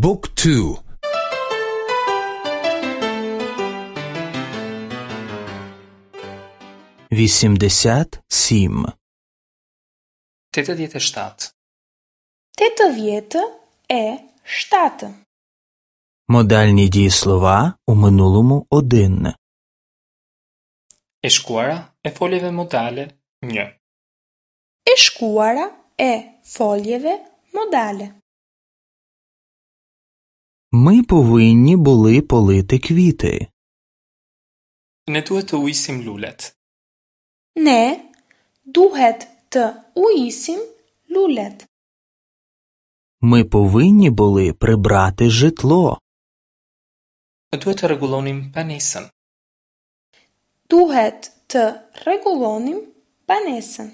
บุ๊กทู 87. 87. 87. Модальні дієслова у минулому один. E shkuara e foljeve modale 1. E shkuara e foljeve modale. Ми повинні були полити квіти. Ne duhet të ujisim lulet. Ne duhet të ujisim lulet. Ми повинні були прибрати житло. Duhet të rregullonim banesën. Duhet të rregullonim banesën.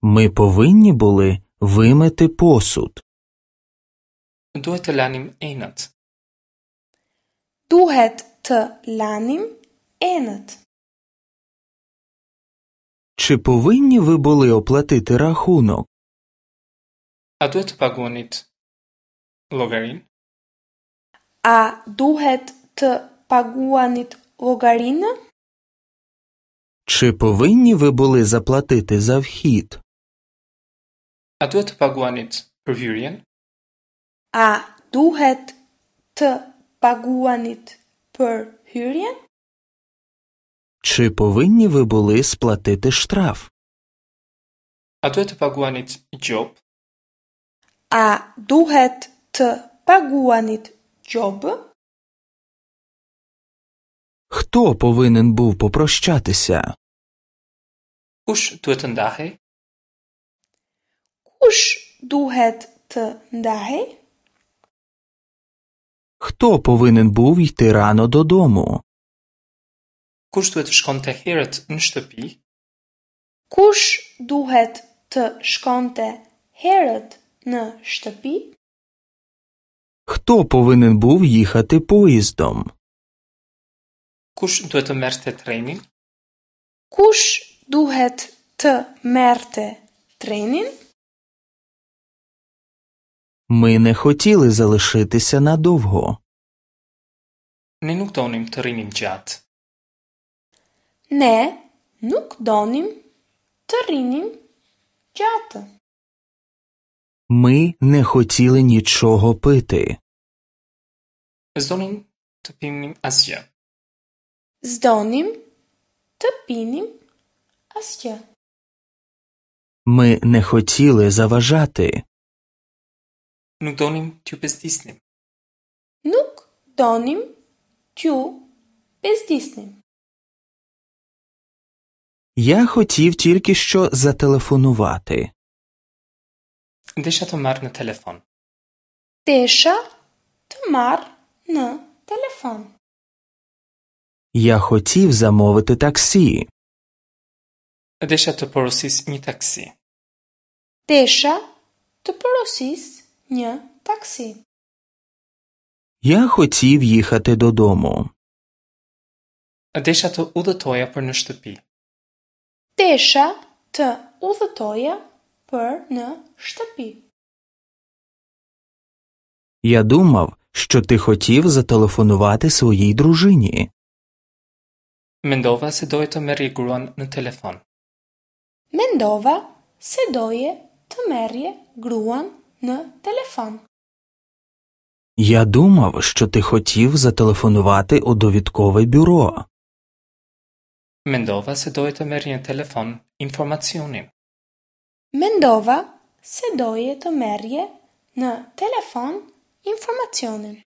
Ми повинні були вимити посуд. Duhet të lanim enët. Duhet të lanim enët. Чи повинні ви були оплатити рахунок? A duhet të paguanit llogarinë? A duhet të paguanit llogarinë? Чи повинні ви були заплатити за вхід? A duhet të paguanit për hyrjen? A duhet të paguanit për hyrjen? Чи повинні ви були сплатити штраф? A duhet të paguanit gjobë? A duhet të paguanit gjobë? Хто повинен був попрощатися? Kush duhet të ndahej? Kush duhet të ndahej? Хто повинен був йти рано додому? Kush duhet të shkonte herët në shtëpi? Kush duhet të shkonte herët në shtëpi? Хто повинен був їхати поїздом? Kush duhet të merrte trenin? Kush duhet të merrte trenin? Ми не хотіли залишитися надовго. Ne nuk donim të rrinim gjatë. Ne nuk donim të rrinim gjatë. Ми не хотіли нічого пити. S'donim të pinim asgjë. S'donim të pinim asgjë. Ми не хотіли заважати. Nuk donim t'ju bezdisnim. Nuk donim t'ju bezdisnim. Я хотів тільки що зателефонувати. Desha të marr në telefon. Desha të marr në telefon. Я хотів замовити таксі. Desha të porosis një taksi. Desha të porosis një taksi. Я хотів їхати додому. Desha të udhëtoja për në shtëpi. Desha të udhëtoja për në shtëpi. Я думав, що ти хотів зателефонувати своїй дружині. Mendova se doje të merrje gruan në telefon. Mendova se doje të merrje gruan në telefon. Я думав, що ти хотів зателефонувати у довідкове бюро. Mendova se doje të merrje në telefon informacionin. Mendova se doje të merrje në telefon informacionin.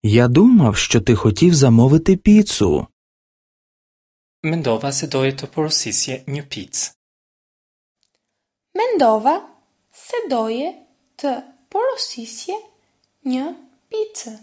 Я думав, що ти хотів замовити піцу. Mendova se doje të porosisje një picë. Mendova se doje të porosisje një picë.